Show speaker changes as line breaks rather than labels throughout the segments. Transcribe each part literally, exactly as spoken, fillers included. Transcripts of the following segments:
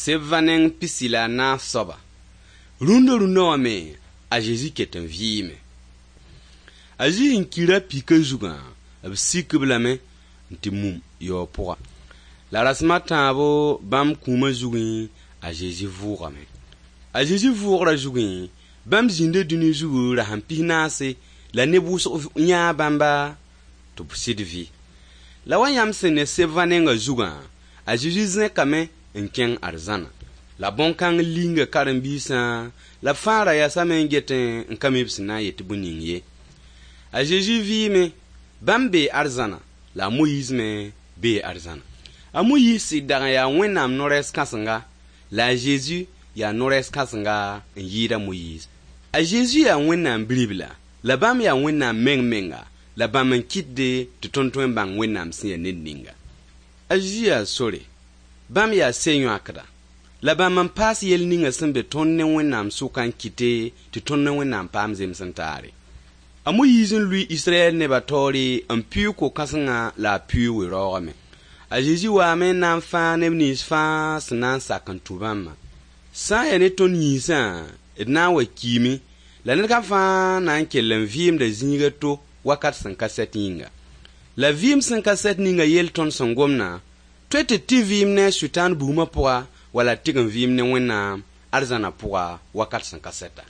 Sebva neng pisi la a naas soaba. Rũndã rũndã wã me a Zezi ket n vɩɩme. A Zezi n kira pika zugã, b sik-b lame n tɩ mum yaoog pʋga. La rasem a tãabo bãmb kũumã zugẽ a Zezi vʋʋgame. A Zezi vʋʋgrã zugẽ, bãmb zĩnda dũni zugu rasem pis-naase la neb wʋsg yãa bãmba tɩ b sɩd vɩ. La wa yãmb sẽn ne sebvã nengã zugã, a Zezi zẽkame n kẽng arzãna. La bõn-kãng linga karen-biisã la b fãa ra yasame n get n ka mi b sẽn na n yet tɩ bõe ning ye. A Zezi vɩɩme, bãmb bee arzãna la a Moyiis me bee arzãna. A Moyiis sɩd dag n yaa Wẽnnaam no-rɛɛs kãsenga la a Zezi yaa no-rɛɛs kãsenga n yɩɩd a Moyiis. A Zezi yaa Wẽnnaam Bi-ribla la bãmb yaa Wẽnnaam meng menga la bãmb n kɩtde tɩ tõnd tõe n bãng Wẽnnaam sẽn yaa ned ninga. A Zezi yaa sore, bãmb yaa se-yõakda la bãmb n paas yell ninga sẽn be tõnd ne Wẽnnaam sʋka n kɩte tɩ tõnd ne Wẽnnaam paam zems n taare. A Moyiis n lʋɩ Israyɛl nebã taoore n pɩʋʋg ko-kãsengã la a pɩʋʋg we-raoogame. A Zezi waame n na n fãag neb nins fãa sẽn na n sak n tũ bãmbã. Sã n yaa ne tõnd yĩnsã, d na n wa kiime la ned kam fãa na n kell n vɩɩmda zĩig a to wakat sẽn ka sɛt yĩnga. La vɩɩm sẽn ka sɛt ninga yell tõnd sẽn gomdã, tõe tɩ d tɩ vɩɩm ne a Sʋtãan bugmã pʋga wala tɩg n vɩɩm ne Wẽnnaam arzãna pʋga wakat sẽn ka sɛta.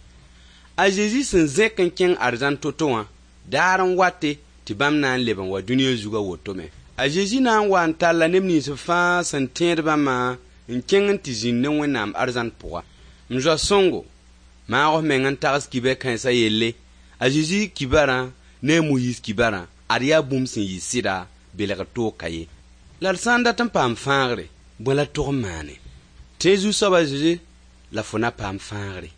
A Zezi sẽn zẽk n kẽng arzãn to-to wã, daar n wate tɩ bãmb na n leb n wa dũniyã zugã woto me. A Zezi na n wa n talla neb nins fãa sẽn tẽed bãmbã n kẽng n tɩ zĩnd ne Wẽnnaam arzãn pʋga. M zoa sõngo, maag f meng n tags kibe-kãensã yelle, a Zezi kibarã ne a Moyiis kibarã, ad yaa bũmb sẽn yɩ sɩda, belgr toog ka ye. La d sã n dat n paam fãagre, bõe la tog n maane? Tẽ Zu-soab a Zezi la fo na paam fãagre.